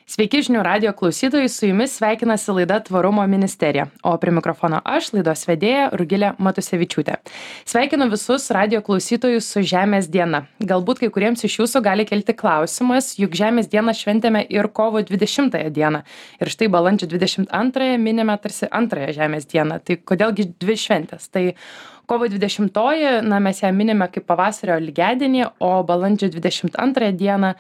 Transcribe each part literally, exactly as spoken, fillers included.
Sveiki žinių radijo klausytojai, su jumis sveikinasi laida Tvarumo ministerija, o prie mikrofono aš, laidos vedėja Rugilė Matusevičiūtė. Sveikinu visus radijo klausytojus su Žemės diena. Galbūt kai kuriems iš jūsų gali kelti klausimas, juk Žemės dieną šventėme ir kovo dvidešimtąją dieną. Ir štai balandžio dvidešimt antrąją minime tarsi antrąją Žemės dieną. Tai kodėlgi dvi šventės? Tai kovo dvidešimtoji, na, mes ją minime kaip pavasario lygiadienį, o balandžio dvidešimt antrąją dieną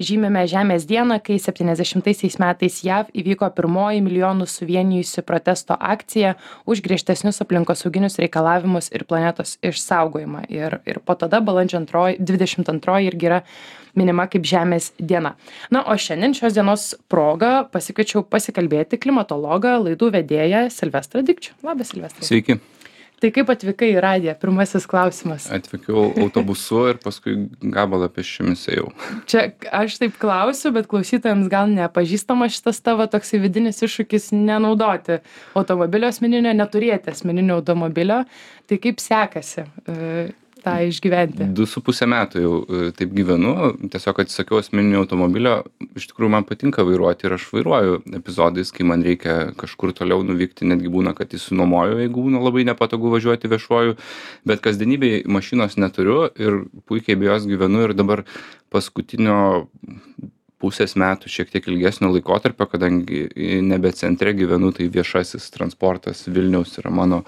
žymime Žemės dieną, kai septyniasdešimtaisiais metais J A V įvyko pirmoji milijonų suvienijusi protesto akcija už griežtesnius aplinkosauginius reikalavimus ir planetos išsaugojimą. Ir, ir po tada balandžio antroji, dvidešimt antroji irgi yra minima kaip Žemės diena. Na, o šiandien šios dienos proga pasikviečiau pasikalbėti klimatologą, laidų vedėją Silvestrą Dikčių. Labas, Silvestrai. Sveiki. Tai kaip atvykai į radiją? Pirmasis klausimas. Atvykau autobusu ir paskui gabalą pėsčiomis ėjau. Čia aš taip klausiu, bet klausytojams gal nepažįstama šitas tavo toksai vidinis iššūkis nenaudoti automobilio asmeninio, neturėti asmeninio automobilio. Tai kaip sekasi e, tą išgyventi? Du su pusę metų jau e, taip gyvenu, tiesiog atsisakiau asmeninio automobilio. Iš tikrųjų man patinka vairuoti ir aš vairuoju epizodais, kai man reikia kažkur toliau nuvykti, netgi būna, kad įsinuomoju, jeigu būna labai nepatogu važiuoti viešuoju, bet kasdienybėj mašinos neturiu ir puikiai be jos gyvenu ir dabar paskutinio pusės metų šiek tiek ilgesnio laikotarpio, kadangi nebe centre gyvenu, tai viešasis transportas Vilniaus yra mano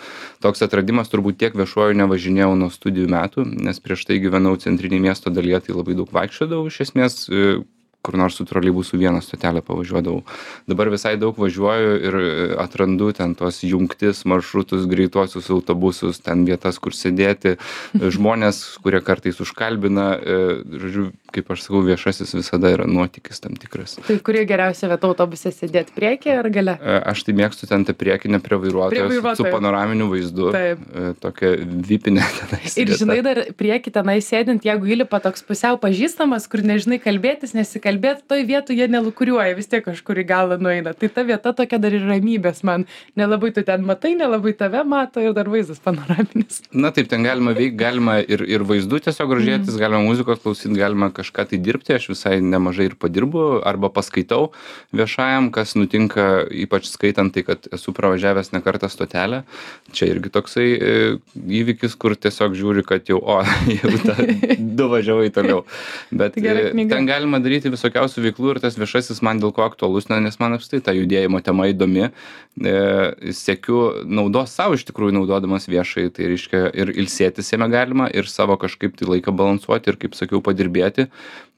toks atradimas, turbūt tiek viešuoju nevažinėjau nuo studijų metų, nes prieš tai gyvenau centrinėje miesto dalyje, tai labai daug vaikščiodavau iš esmės, kur nors su troleibusu vieną stotelę pavažiuodavau. Dabar visai daug važiuoju ir atrandu ten tos jungtis, maršrutus, greituosius autobusus, ten vietas, kur sėdėti, žmonės, kurie kartais užkalbina, žodžiu, kaip aš sakau, viešasis visada yra nuotykis tam tikras. Tai kuri geriausia vieta autobuse sėdėti, priekį ar gale? Aš tai mėgstu ten tą priekinę prie vairuotojos su panoraminiu vaizdu. Taip. Tokia vipinė tenai sėdėta. Ir žinai, dar priekį tenai sėdint, jeigu įlipa toks pusiau pažįstamas, kur nežinai kalbėtis, nesikalbėti, bet toj vietoj jie nelukuriuoja, vis tiek kažkur į galą nueina. Tai ta vieta tokia dar ir ramybės man. Nelabai tu ten matai, nelabai tave mato ir dar vaizdas panoraminis. Na taip, ten galima veikti, galima ir, ir vaizdu tiesiog gražėtis, mm. galima muzikos klausyti, galima kažką tai dirbti. Aš visai nemažai ir padirbu arba paskaitau viešajam, kas nutinka, ypač skaitant tai, kad esu pravažiavęs ne kartą stotelę. Čia irgi toksai e, įvykis, kur tiesiog žiūri, kad jau, o, jau ta, du važiavai toliau. Bet e, ten galima daryti vis visokiausių veiklų ir tas viešasis man dėl ko aktualus, nes man apstai ta judėjimo tema įdomi. E, siekiu naudos savo iš tikrųjų naudodamas viešai, tai reiškia ir ilsėtis jame galima, ir savo kažkaip tai laiką balansuoti, ir kaip sakiau, padirbėti.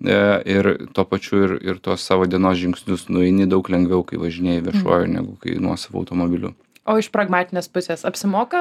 E, ir tuo pačiu ir, ir tuos savo dienos žingsnius nueini daug lengviau, kai važinėjai viešuoju, mm. negu kai nuosavo automobiliu. O iš pragmatinės pusės apsimoka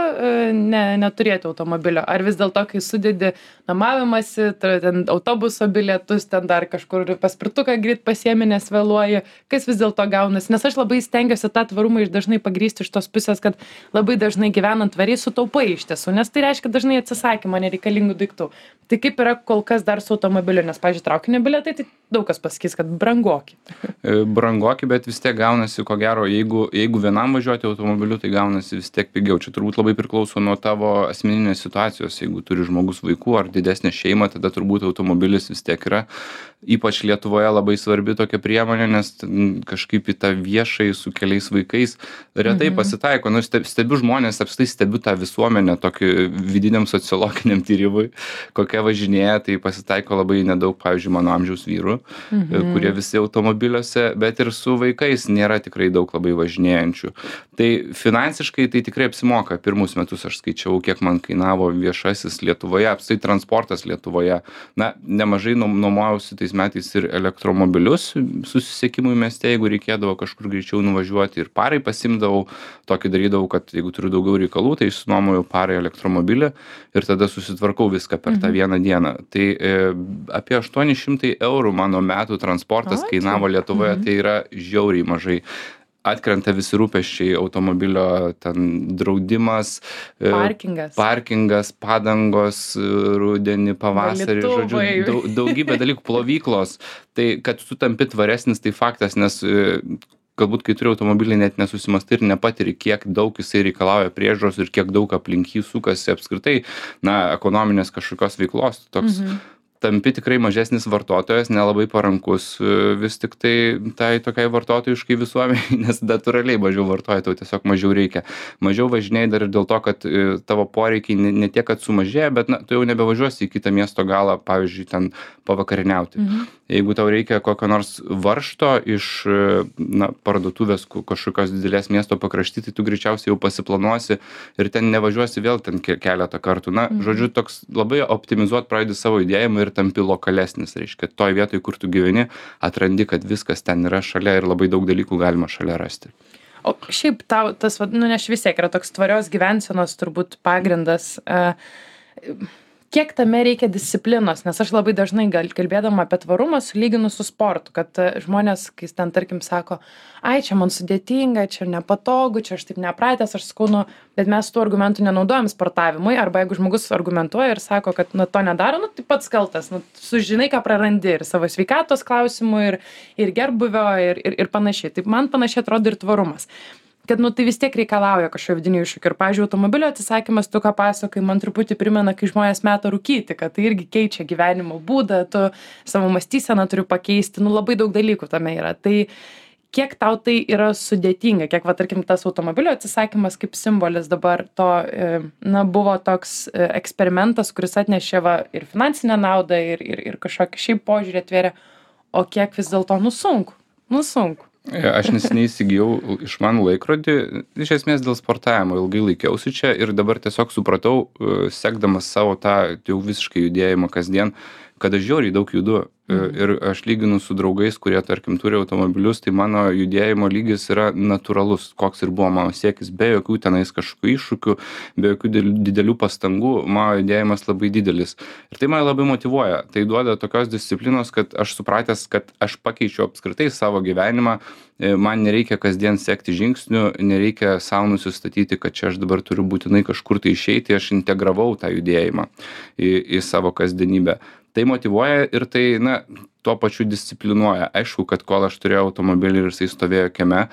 ne, neturėti automobilio? Ar vis dėlto, kai sudedi namavimąsi, ten autobuso bilietus, ten dar kažkur paspirtuką greit pasiemi, nes vėluoji, kas vis dėlto gaunasi? Nes aš labai stengiuosi tą tvarumą iš dažnai pagrįsti iš tos pusės, kad labai dažnai gyvenant tvariai sutaupai iš tiesų, nes tai reiškia dažnai atsisakymą nereikalingų daiktų. Tai kaip yra kol kas dar su automobiliu? Nes, pavyzdžiui, traukinio bilietai, tai daug kas pasakys, kad brangoki. Brangoki, bet vis tiek gaunasi, ko gero, jeigu, jeigu vienam važiuoti automobiliu, tai gaunasi vis tiek pigiau. Čia turbūt labai priklauso nuo tavo asmeninės situacijos. Jeigu turi žmogus vaikų ar didesnę šeimą, tada turbūt automobilis vis tiek yra, ypač Lietuvoje, labai svarbi tokia priemonė, nes kažkaip į tą viešai su keliais vaikais retai mhm. pasitaiko. Nu, stebiu žmonės, apstai stebiu tą visuomenę tokį vidiniam sociologiniam tyrimui, kokia važinėja, tai pasitaiko labai nedaug, pavyzdžiui, mano amžiaus vyrų, mhm. kurie visi automobiliuose, bet ir su vaikais nėra tikrai daug labai važinėjančių. Tai finansiškai tai tikrai apsimoka. Pirmus metus aš skaičiau, kiek man kainavo viešasis Lietuvoje, apstai transportas Lietuvoje. Na, nemažai nuomojausi tais metais ir elektromobilius susisiekimui mieste, jeigu reikėdavo kažkur greičiau nuvažiuoti, ir parai pasimdavau, tokį darydavau, kad jeigu turiu daugiau reikalų, tai išsinuomoju parai elektromobilį ir tada susitvarkau viską per tą vieną dieną. Tai e, apie aštuoni šimtai eurų mano metų transportas o, kainavo Lietuvoje, mhm. tai yra žiauriai mažai. Atkrenta visi rūpesčiai, automobilio ten draudimas, parkingas, parkingas padangos, rudenį, pavasarį, žodžiu, daug, daugybė dalykų, plovyklos. Tai kad tu tampi tvaresnis, tai faktas, nes galbūt kai turi automobilį net nesusimastai ir nepatiri, kiek daug jisai reikalauja priežiūros ir kiek daug aplink jį sukasi apskritai, na, ekonominės kažkokios veiklos. Toks, mhm. tampi tikrai mažesnis vartotojas, nelabai parankus vis tik tai tai tokiai vartotojiškai visuomeniai, nes natūraliai mažiau vartoji, tau tiesiog mažiau reikia. Mažiau važinėjai dar ir dėl to, kad tavo poreikiai ne, ne tiek, kad sumažėja, bet na, tu jau nebevažiuosi į kitą miesto galą, pavyzdžiui, ten pavakarieniauti. Mhm. Jeigu tau reikia kokio nors varžto iš na, parduotuvės kažkokios didelės miesto pakrašty, tai tu greičiausiai jau pasiplanuosi ir ten nevažiuosi vėl ten keletą kartų. Na, mhm. žodžiu, toks labai optimizuot pradedi savo judėjimą ir tampi lokalesnis. Reiškia, toj vietoj, kur tu gyveni, atrandi, kad viskas ten yra šalia ir labai daug dalykų galima šalia rasti. O šiaip tau tas, nu, nes vis tiek yra toks tvarios gyvensenos turbūt pagrindas. Uh, Kiek tame reikia disciplinos, nes aš labai dažnai gal kalbėdama apie tvarumą sulyginu su sportu, kad žmonės, kai ten tarkim sako, ai, čia man sudėtinga, čia nepatogu, čia aš taip nepratęs, aš sakau, nu, bet mes tų argumentų nenaudojam sportavimui, arba jeigu žmogus argumentuoja ir sako, kad nu, to nedaro, nu, tai pats kaltas, nu, sužinai, ką prarandi ir savo sveikatos klausimų, ir, ir gerbuvio, ir, ir, ir panašiai. Taip man panašiai atrodo ir tvarumas. Kad, nu, tai vis tiek reikalauja kažkokio vidinių iššūkių. Ir, pavyzdžiui, automobilio atsisakymas, tu ką pasakai, man truputį primena, kai žmonės meta rūkyti, kad tai irgi keičia gyvenimo būdą, tu savo mąstyseną turi pakeisti, nu, labai daug dalykų tame yra. Tai kiek tau tai yra sudėtinga, kiek, va, tarkim, tas automobilio atsisakymas kaip simbolis dabar to, na, buvo toks eksperimentas, kuris atnešė va, ir finansinę naudą, ir, ir, ir kažkokį šiaip požiūrį atvėrė, o kiek vis dėlto, nu, sunku, nu, sunku. Aš neseniai įsigijau išmanų laikrodį, iš esmės dėl sportavimo, ilgai laikiausi čia ir dabar tiesiog supratau, sekdamas savo tą jau visiškai judėjimą kasdien, kad aš žiauriai daug judu. Mhm. Ir aš lyginu su draugais, kurie, tarkim, turi automobilius, tai mano judėjimo lygis yra natūralus, koks ir buvo mano siekis, be jokių tenais kažkokių iššūkių, be jokių didelių pastangų, mano judėjimas labai didelis. Ir tai mane labai motyvuoja. Tai duoda tokios disciplinos, kad aš supratęs, kad aš pakeičiu apskritai savo gyvenimą, man nereikia kasdien sekti žingsnių, nereikia savo nusistatyti, kad čia aš dabar turiu būtinai kažkur tai išeiti, aš integravau tą judėjimą į, į savo kasdienybę. Tai motyvuoja ir tai, na, tuo pačiu disciplinuoja. Aišku, kad kol aš turėjau automobilį ir jisai stovėjo kieme,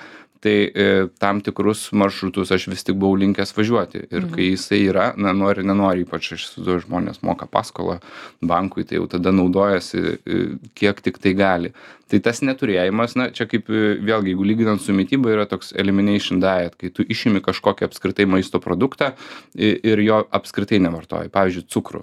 tai e, tam tikrus maršrutus aš vis tik buvau linkęs važiuoti. Ir mhm. kai jisai yra, na, nori, nenori, ypač aš su žmonės moka paskolą bankui, tai jau tada naudojasi e, kiek tik tai gali. Tai tas neturėjimas, na, čia kaip vėlgi, jeigu lyginant su mityba, yra toks elimination diet, kai tu išimi kažkokį apskritai maisto produktą ir jo apskritai nevartoji, pavyzdžiui, cukrų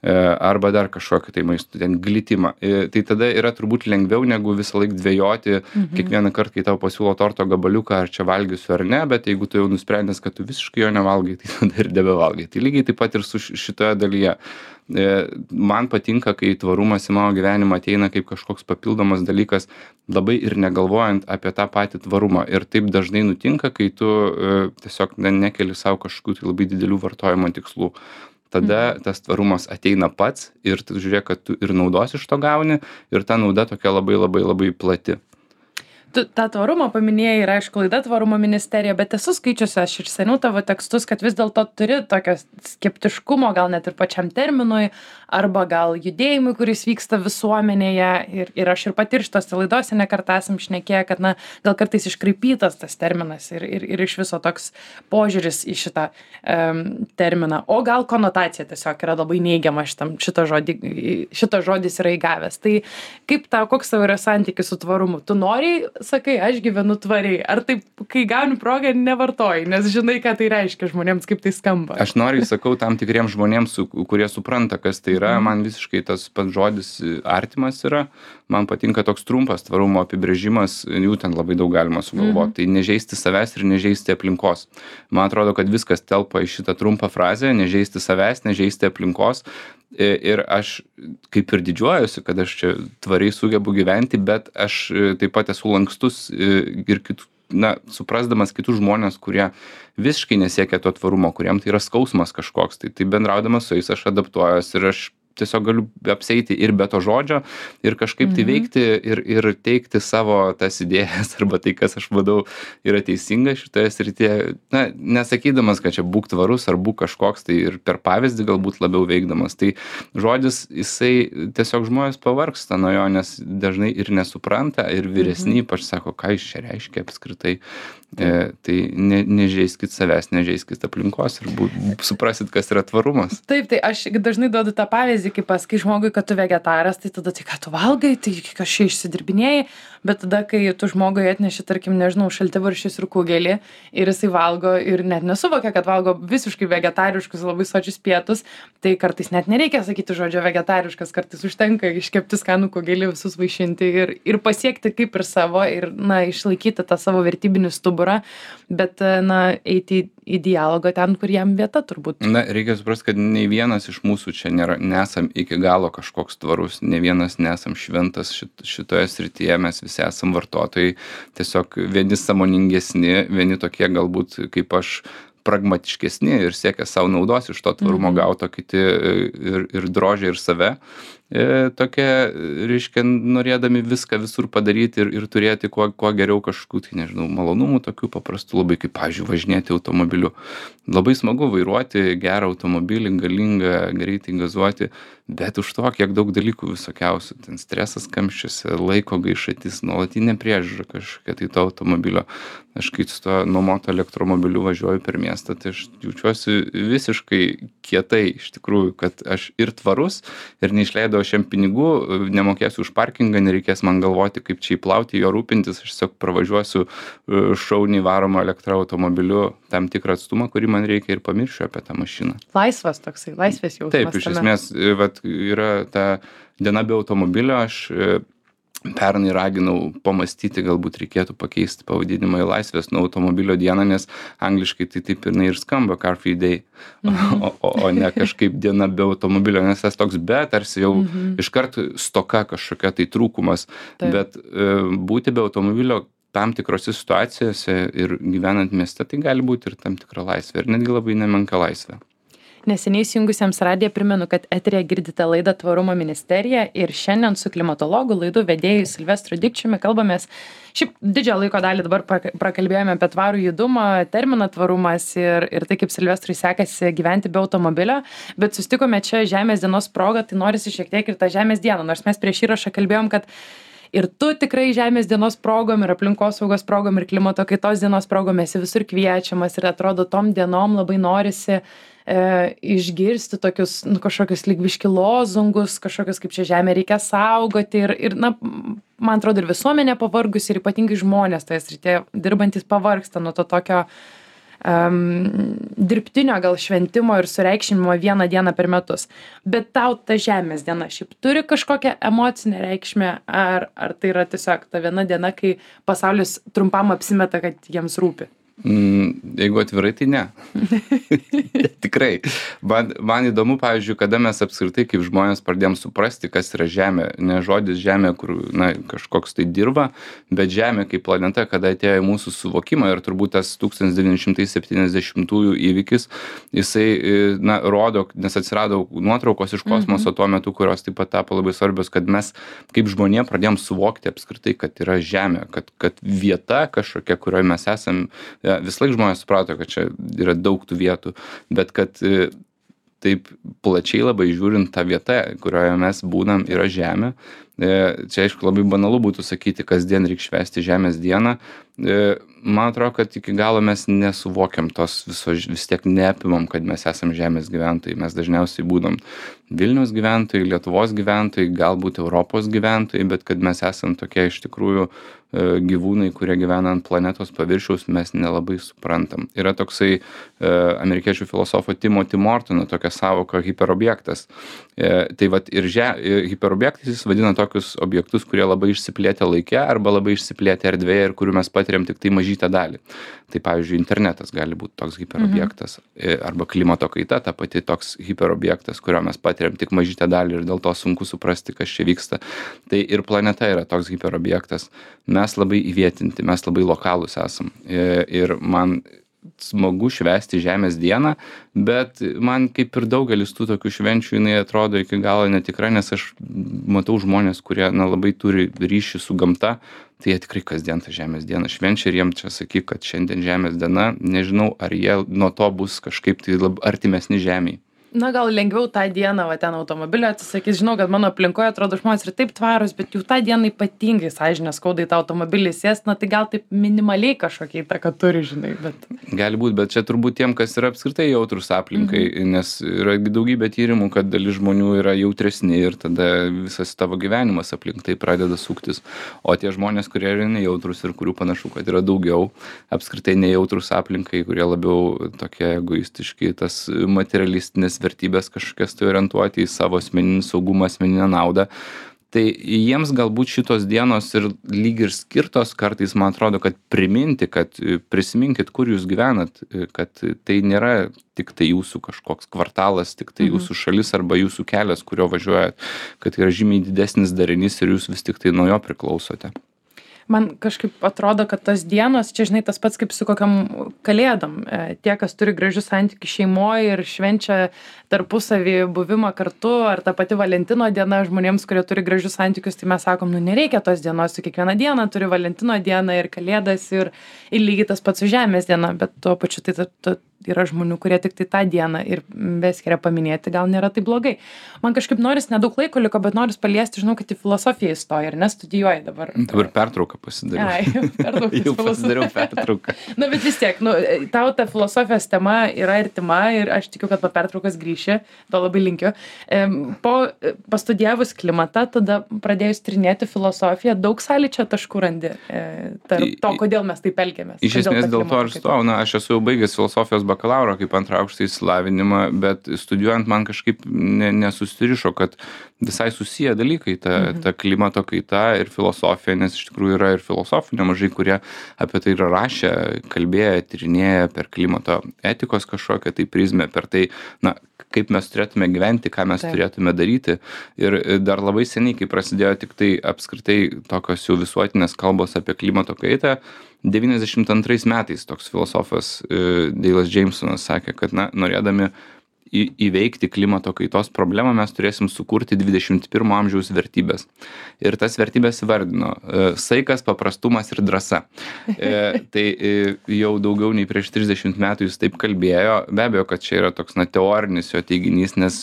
arba dar kažkokį tai maisto, ten glitimą. Tai tada yra turbūt lengviau negu visą laiką dvejoti, mhm. kiekvieną kartą, kai tau pasiūlo torto gabaliuką, ar čia valgysiu ar ne, bet jeigu tu jau nusprendęs, kad tu visiškai jo nevalgai, tai tada ir nebevalgai. Tai lygiai taip pat ir su šitoje dalyje. Man patinka, kai tvarumas į mano gyvenimą ateina kaip kažkoks papildomas dalykas, labai ir negalvojant apie tą patį tvarumą. Ir taip dažnai nutinka, kai tu tiesiog nekeli savo kažkokių tai labai didelių vartojimo tikslų. Tada tas tvarumas ateina pats ir tu žiūrėk, kad tu ir naudos iš to gauni ir ta nauda tokia labai labai labai plati. Tu tą tvarumą paminėjai ir aišku laida Tvarumo ministerija, bet esu skaičiusi aš ir seniau tavo tekstus, kad vis dėlto turi tokio skeptiškumo gal net ir pačiam terminui arba gal judėjimui, kuris vyksta visuomenėje ir, ir aš ir pati ir šitose laidose ne kartą esam šnekėję, kad na, gal kartais iškraipytas tas terminas ir, ir, ir iš viso toks požiūris į šitą um, terminą, o gal konotacija tiesiog yra labai neigiama šitam, šito, žodį, šito žodis yra įgavęs. Tai kaip tau, koks tavo yra santykis su tvarumu? Tu nori sakai, aš gyvenu tvariai, ar taip, kai gauni progą, nevartoji, nes žinai, ką tai reiškia žmonėms, kaip tai skamba. Aš noriu sakau tam tikriems žmonėms, su, kurie supranta, kas tai yra, man visiškai tas pats žodis artimas yra, man patinka toks trumpas tvarumo apibrėžimas, jų ten labai daug galima sugalvoti, mhm. tai nežeisti savęs ir nežeisti aplinkos. Man atrodo, kad viskas telpa į šitą trumpą frazę, nežeisti savęs, nežeisti aplinkos. Ir aš kaip ir didžiuojuosi, kad aš čia tvariai sugebu gyventi, bet aš taip pat esu lankstus ir kitų, na, suprasdamas kitus žmonės, kurie visiškai nesiekia to tvarumo, kuriem tai yra skausmas kažkoks. Tai, tai bendraudamas su jais aš adaptuojuosi ir aš tiesiog galiu apseiti ir be to žodžio ir kažkaip tai veikti ir, ir teikti savo tas idėjas arba tai, kas aš vadau yra teisinga šitoje srityje. Na, nesakydamas, kad čia būk tvarus ar būk kažkoks, tai ir per pavyzdį galbūt labiau veikdamas. Tai žodis, jisai tiesiog žmonės pavargsta nuo jo, nes dažnai ir nesupranta ir vyresni, ypač sako, ką jis čia reiškia apskritai. E, tai ne, nežeiskit savęs, nežeiskit aplinkos ir būt, suprasit, kas yra tvarumas. Taip, tai aš dažnai duodu tą pavyzdį, kai pasakai žmogui, kad tu vegetaras, tai tada tai ką tu valgai, tai kažkaip išsidirbinėjai, bet tada, kai tu žmogui atneši, tarkim, nežinau, šaltibarščius ir kugelį ir jisai valgo ir net nesuvokia, kad valgo visiškai vegetariškus, labai sočius pietus, tai kartais net nereikia sakyti žodžio vegetariškas, kartais užtenka iškepti skanų kugelį, visus vaišinti ir, ir pasiekti kaip ir savo ir, na, išlaikyti tą savo vertybinį stuburą, bet, na, eiti į, į dialogą ten, kur jam vieta turbūt. Na, reikia suprasti, kad nei vienas iš mūsų čia nėra, nesam iki galo kažkoks tvarus, nei vienas nesam šventas šit, šitoje srityje, mes visi esam vartotojai, tiesiog vieni sąmoningesni, vieni tokie galbūt kaip aš pragmatiškesni ir siekia savo naudos iš to tvarumo gauto, kiti ir, ir drožia ir save. E, tokie, reiškia, norėdami viską visur padaryti ir, ir turėti kuo, kuo geriau kažkokių, tai nežinau, malonumų, tokių paprastų labai, kaip, pavyzdžiui, važinėti automobiliu. Labai smagu vairuoti gerą automobilį, galingą, greitai gazuoti, bet už to, kiek daug dalykų visokiausių, ten stresas kamščiuose, laiko gaišatis, nuolatinė priežiūra kažkokia tai to automobilio. Aš kai su to nuomoto elektromobiliu važiuoju per miestą, tai aš jaučiuosi visiškai kietai, iš tikrųjų, kad aš ir tvarus, ir neišleidau šiam pinigų, nemokėsiu už parkingą, nereikės man galvoti, kaip čia įplauti, jo rūpintis, aš tiesiog pravažiuosiu šauniai varomą elektroautomobiliu tam tikrą atstumą, kurį man reikia ir pamiršiu apie tą mašiną. Laisvas toksai, laisvės jausmas. Taip, iš esmės, vat, yra ta diena be automobilio, aš pernai raginau pamastyti, galbūt reikėtų pakeisti pavadinimą į laisvės nuo automobilio dieną, nes angliškai tai taip ir, ir skamba car free day, mhm. o, o, o ne kažkaip diena be automobilio, nes tas toks be, tarsi jau mhm. iškart stoka kažkokia tai trūkumas, taip. Bet e, būti be automobilio tam tikrose situacijose ir gyvenant mieste, tai gali būti ir tam tikra laisvė, ir netgi labai nemenka laisvė. Neseniai įsijungusiems radiją primenu, kad eteryje girdite laidą Tvarumo ministerija ir šiandien su klimatologu laidų vedėju Silvestru Dikčiumi kalbamės. Šiaip didžiąją laiko dalį dabar prakalbėjome apie tvarų judumą, terminą tvarumas ir, ir tai, kaip Silvestrui sekasi gyventi be automobilio, bet sustikome čia Žemės dienos proga, tai norisi šiek tiek ir tą Žemės dieną, nors mes prieš įrašą kalbėjom, kad ir tu tikrai Žemės dienos progom ir aplinkosaugos progom ir klimato kaitos dienos progom esi visur kviečiamas ir atrodo tom dienom labai norisi e, išgirsti tokius nu, kažkokius lygviški lozungus, kažkokius kaip čia žemė reikia saugoti ir, ir na, man atrodo ir visuomenė pavargus ir ypatingai žmonės toje srityje dirbantis pavargsta nuo to tokio Um, dirbtinio gal šventimo ir sureikšminimo vieną dieną per metus. Bet tau ta Žemės diena šiaip turi kažkokią emocinę reikšmę, ar, ar tai yra tiesiog ta viena diena, kai pasaulis trumpam apsimeta, kad jiems rūpi? Mm, jeigu atvirai, tai ne. Tikrai. Man, man įdomu, pavyzdžiui, kada mes apskritai kaip žmonės pradėjom suprasti, kas yra Žemė. Ne žodis Žemė, kur na, kažkoks tai dirba, bet Žemė kaip planeta, kada atėjo į mūsų suvokimą ir turbūt tas tūkstantis devyni šimtai septyniasdešimtųjų įvykis, jisai na, rodo, nes atsirado nuotraukos iš kosmoso mm-hmm. tuo metu, kurios taip pat tapo labai svarbios, kad mes kaip žmonė pradėjom suvokti apskritai, kad yra Žemė, kad, kad vieta kažkokia, kurioje mes esam. Ja, vis laik žmonės suprato, kad čia yra daug tų vietų, bet kad e, taip plačiai labai žiūrint tą vietą, kurioje mes būnam, yra Žemė. E, čia aišku labai banalu būtų sakyti, kasdien reikia švęsti Žemės dieną. E, man atrodo, kad iki galo mes nesuvokiam tos viso, vis tiek neapimam, kad mes esam Žemės gyventojai. Mes dažniausiai būdam Vilniaus gyventojai, Lietuvos gyventojai, galbūt Europos gyventojai, bet kad mes esam tokie iš tikrųjų gyvūnai, kurie gyvena ant planetos paviršiaus, mes nelabai suprantam. Yra toksai e, amerikiečių filosofo Timothy Mortono tokia sąvoka hiperobjektas. E, tai vat ir že, hiperobjektais jis vadina tokius objektus, kurie labai išsiplėtę laike arba labai išsiplėtę erdvėje ir kurių mes patiriam tik tai mažytę dalį. Tai pavyzdžiui, internetas gali būti toks hiperobjektas mhm. arba klimato kaita, ta pati toks hiperobjektas, kurio mes patiriam tik mažytę dalį ir dėl to sunku suprasti, kas čia vyksta. Tai ir planeta yra toks hiperobjektas. Mes labai įvietinti, mes labai lokalūs esam. Ir man smagu švęsti Žemės dieną, bet man kaip ir daugelis tų tokių švenčių jinai atrodo iki galo netikra, nes aš matau žmonės, kurie na, labai turi ryšį su gamta, tai jie tikrai kasdien tą Žemės dieną švenčia ir jiem čia sakyk, kad šiandien Žemės diena, nežinau, ar jie nuo to bus kažkaip tai lab, artimesni Žemei. Na, gal lengviau tą dieną, va, ten automobilio atsisakys. Žinau, kad mano aplinkoje atrodo žmonės ir taip tvarus, bet jau tą dieną ypatingai sąžinę skauda į tą automobilį sės, na tai gal taip minimaliai kažkokia įtaka turi, žinai, bet... Gali būti, bet čia turbūt tiem, kas yra apskritai jautrus aplinkai, mhm. nes yra daugybė tyrimų, kad dalis žmonių yra jautresni ir tada visas tavo gyvenimas aplink tai pradeda suktis. O tie žmonės, kurie yra nejautrus ir kurių panašu, kad yra daugiau, apskritai nejautrus aplinkai, kurie labiau tokie egoistiški, tas materialistinės vertybės kažkokias tai orientuoti į savo asmeninį saugumą, asmeninę naudą. Tai jiems galbūt šitos dienos ir lyg ir skirtos kartais, man atrodo, kad priminti, kad prisiminkit, kur jūs gyvenat, kad tai nėra tik tai jūsų kažkoks kvartalas, tik tai jūsų šalis arba jūsų kelias, kurio važiuojat, kad yra žymiai didesnis darinys ir jūs vis tik tai nuo jo priklausote. Man kažkaip atrodo, kad tos dienos, čia žinai, tas pats kaip su kokiam kalėdom. Tie, kas turi gražius santykius šeimoje ir švenčia tarpusavį buvimą kartu, ar ta pati Valentino diena žmonėms, kurie turi gražius santykius, tai mes sakom, nu nereikia tos dienos, su kiekvieną dieną turi Valentino dieną ir kalėdas ir, ir lygiai tas pats su žemės diena, bet tuo pačiu tai ta, ta, yra žmonių, kurie tik tai tą dieną ir beskiria paminėti, gal nėra tai blogai. Man kažkaip noris, nedaug laiko liko, bet noris paliesti, žinau, kad į filosofiją įstoji ir nestudijuoji dabar. Dabar pertrauką pasidariau. Ai, pertrauką. Jau pasidariau pertrauką. Na, bet vis tiek, nu, tau ta filosofijos tema yra artima ir aš tikiu, kad po pertraukos grįši, to labai linkiu. Po pastudijavus klimatą, tada pradėjus tyrinėti filosofiją, daug sąlyčio taškų randi tarp to, kodėl mes taip elgiamės. Iš esmės dėl to ir stojau, na, aš esu jau baigęs filosofijos bakalauro kaip antrą aukštą išsilavinimą, bet studijuojant man kažkaip ne, nesusirišo, kad visai susiję dalykai, ta, mhm. ta klimato kaita ir filosofija, nes iš tikrųjų yra ir filosofų nemažai, kurie apie tai yra rašę, kalbėję, tyrinėję per klimato etikos kažkokią tai prizmę, per tai, na, kaip mes turėtume gyventi, ką mes Taip. turėtume daryti. Ir dar labai seniai, kai prasidėjo tik tai apskritai tokios jau visuotinės kalbos apie klimato kaitą, devyniasdešimt antrais metais toks filosofas Deilas Jamesonas sakė, kad na, norėdami į, įveikti klimato kaitos problemą mes turėsim sukurti dvidešimt pirmo amžiaus vertybės. Ir tas vertybės vardino saikas, paprastumas ir drąsa. E, tai jau daugiau nei prieš trisdešimt metų jis taip kalbėjo. Be abejo, kad čia yra toks na, teorinis jo teiginys, nes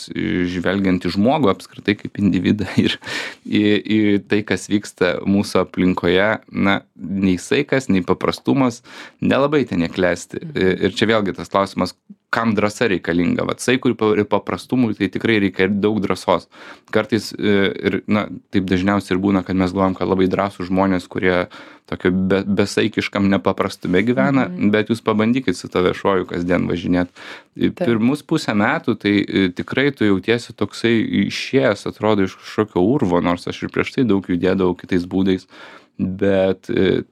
žvelgiant į žmogų apskritai kaip individą ir į, į tai, kas vyksta mūsų aplinkoje, na, nei saikas, nei paprastumas nelabai ten neklesti. Ir čia vėlgi tas klausimas, kam drąsa reikalinga. Vat saikui ir paprastumui tai tikrai reikia ir daug drąsos. Kartais ir, na, taip dažniausiai ir būna, kad mes galvojam, kad labai drąsūs žmonės, kurie tokio be, besaikiškam nepaprastume gyvena, mm-hmm. bet jūs pabandykit su to viešuoju kasdien važinėt. Taip. Pirmus pusę metų tai tikrai tu jautiesi toksai išėjęs, atrodo, iš kažkokio urvo, nors aš ir prieš tai daug judėdavau kitais būdais, bet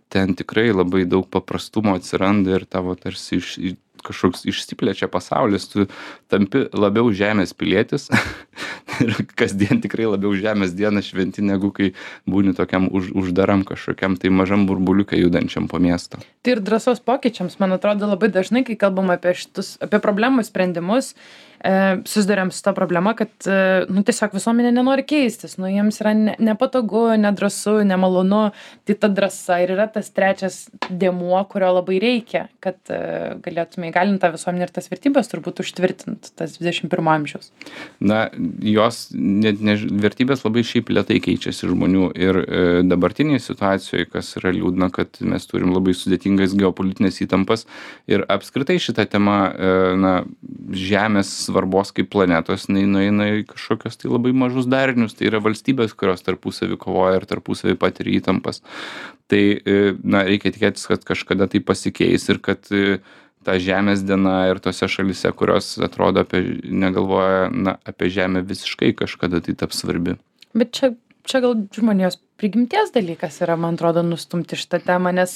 ten tikrai labai daug paprastumo atsiranda ir tavo tarsi iš kažkoks išsiplečia pasaulis, tu tampi labiau žemės pilietis ir kasdien tikrai labiau žemės dieną šventi, negu kai būni tokiam už, uždaram kažkokiam tai mažam burbuliukai judančiam po miestą. Tai ir drąsos pokyčiams, man atrodo, labai dažnai, kai kalbam apie šitus, apie problemų sprendimus, e, susiduriam su ta problema, kad e, nu, tiesiog visuomenė nenori keistis, nu, jiems yra ne, nepatogu, nedrąsu, nemalonu, tai ta drąsa ir yra tas trečias dėmuo, kurio labai reikia, kad e, galėtume įgalinti tą visuomenę ir tas vertybės turbūt užtvirtint, tas dvidešimt pirmo amžiaus. Na, jos net ne, vertybės labai šiaip lėtai keičiasi žmonių ir e, dabartinėje situacijoje, kas yra liūdna, kad mes turim labai sudėtingas geopolitinės įtampas ir apskritai šitą temą, e, na, žemės svarbos kaip planetos, nueina į kažkokios tai labai mažus darinius, tai yra valstybės, kurios tarpusavį kovoja ir tarpusavį patiria įtampas. Tai, e, na, reikia tikėtis, kad kažkada tai pasikeis ir kad e, ta žemės diena ir tose šalyse, kurios atrodo apie, negalvoja na, apie žemę visiškai kažkada tai taps svarbi. Bet čia, čia gal žmonijos prigimties dalykas yra, man atrodo, nustumti šitą temą, nes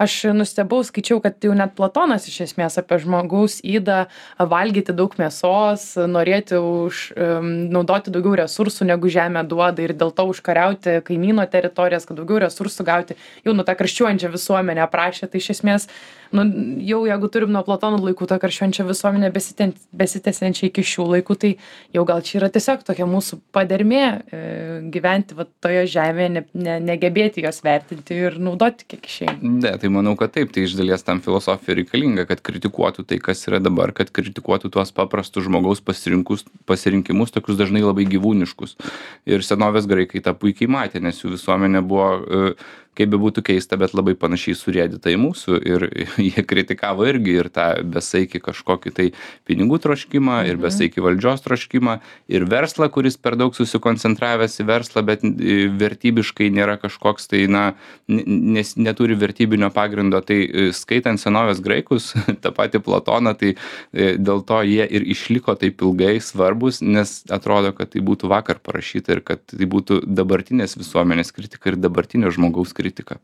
aš nustebau, skaičiau, kad jau net Platonas iš esmės apie žmogaus ydą valgyti daug mėsos, norėti už, um, naudoti daugiau resursų, negu žemė duoda ir dėl to užkariauti kaimyno teritorijas, kad daugiau resursų gauti, jau nu tą karščiuojančią visuomenę aprašė, tai iš esmės, nu, jau jeigu turim nuo Platono laikų tą karščiuojančią visuomenę besitęsiančią iki šių laikų, tai jau gal čia yra tiesiog tokia mūsų padermė e, gyventi va, toje žemėje, ne, ne, negebėti jos vertinti ir naudoti kiek išeina. Ne, tai manau, kad taip, tai iš dalies tam filosofija reikalinga, kad kritikuotų tai, kas yra dabar, kad kritikuotų tuos paprastus žmogaus pasirinkimus, tokius dažnai labai gyvūniškus. Ir senovės graikai tą puikiai matė, nes jų visuomenė buvo, kaip be būtų keista, bet labai panašiai surėdyta į mūsų ir jie kritikavo irgi ir tą besaikį kažkokį tai pinigų troškimą, ir besaikį valdžios troškimą, ir verslą, kuris per daug susikoncentravęs į verslą, bet vertybiškai nėra kažkoks tai, na, nes neturi vertybinio pagrindo. Tai skaitant senovės graikus, tą patį Platoną, tai dėl to jie ir išliko taip ilgai svarbus, nes atrodo, kad tai būtų vakar parašyta ir kad tai būtų dabartinės visuomenės kritika ir dabartinio žmogaus kritika. kritika.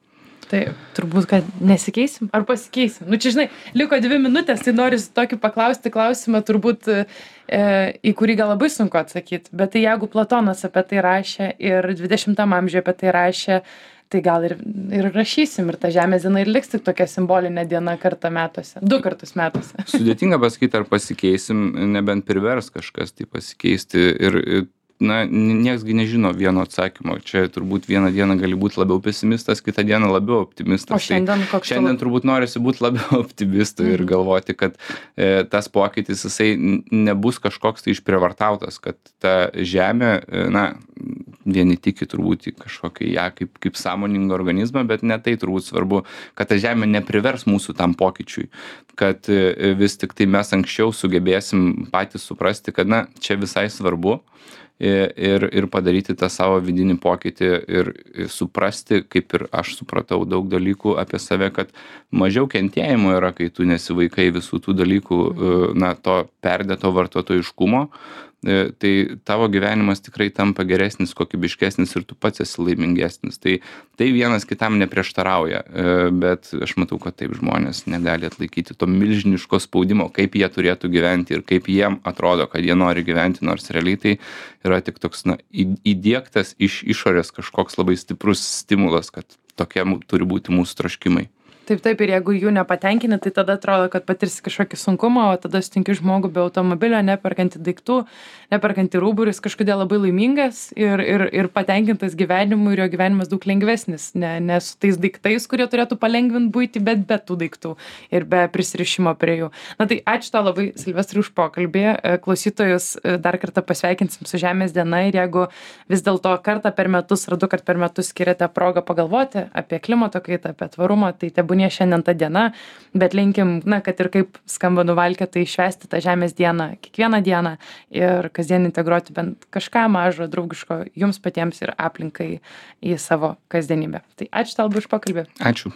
Tai turbūt, kad nesikeisim ar pasikeisim. Nu, čia, žinai, liko dvi minutės, tai noriu tokį paklausti klausimą, turbūt, e, į kurį gal labai sunku atsakyti. Bet tai jeigu Platonas apie tai rašė ir dvidešimtam amžiuje apie tai rašė, tai gal ir, ir rašysim, ir ta žemės diena ir liks tik tokia simbolinė diena kartą metuose, du kartus metuose. Sudėtinga pasakyti, ar pasikeisim, nebent privers kažkas tai pasikeisti. Ir na, nieksgi nežino vieno atsakymo. Čia turbūt vieną dieną gali būti labiau pesimistas, kitą dieną labiau optimistas. O šiandien koks? Tai šiandien turbūt norisi būti labiau optimistų ir galvoti, kad e, tas pokytis jisai nebus kažkoks tai išprievartautas, kad ta žemė, e, na, vieni tiki turbūt į kažkokį ją kaip, kaip sąmoningą organizmą, bet ne tai turbūt svarbu, kad ta žemė neprivers mūsų tam pokyčiui, kad e, vis tik tai mes anksčiau sugebėsim patys suprasti, kad, na, čia visai svarbu, ir, ir padaryti tą savo vidinį pokytį ir suprasti, kaip ir aš supratau daug dalykų apie save, kad mažiau kentėjimo yra, kai tu nesivaikai visų tų dalykų, na, to perdėto vartotojiškumo, tai tavo gyvenimas tikrai tampa geresnis, kokybiškesnis ir tu pats esi laimingesnis. Tai, tai vienas kitam neprieštarauja, bet aš matau, kad taip žmonės negali atlaikyti to milžiniško spaudimo, kaip jie turėtų gyventi ir kaip jiem atrodo, kad jie nori gyventi, nors realiai tai yra tik toks, na, įdiegtas iš išorės kažkoks labai stiprus stimulas, kad tokie turi būti mūsų troškimai. Taip, taip, ir jeigu jų nepatenkini, tai tada atrodo, kad patirsi kažkokį sunkumą, o tada sutinki žmogų be automobilio, neperkanti daiktų, neperkanti rūbų, ir jis kažkodėl labai laimingas ir, ir, ir patenkintas gyvenimu, ir jo gyvenimas daug lengvesnis, ne, ne su tais daiktais, kurie turėtų palengvinti buitį, bet be tų daiktų ir be prisirišimo prie jų. Na tai ačiū tau labai, Silvestrai, už pokalbį. Klausytojus dar kartą pasveikinsim su Žemės diena, ir jeigu vis dėlto kartą per metus ar du kart per metus skiriate progą pagalvoti apie klimato kaitą, apie tvarumą, tai tebūnie šiandien ta diena, bet linkim, na, kad ir kaip skamba nuvalkėtai, švęsti tą Žemės dieną kiekvieną dieną ir kasdien integruoti bent kažką mažo, draugiško jums patiems ir aplinkai į savo kasdienybę. Tai ačiū tau už pokalbį. Ačiū.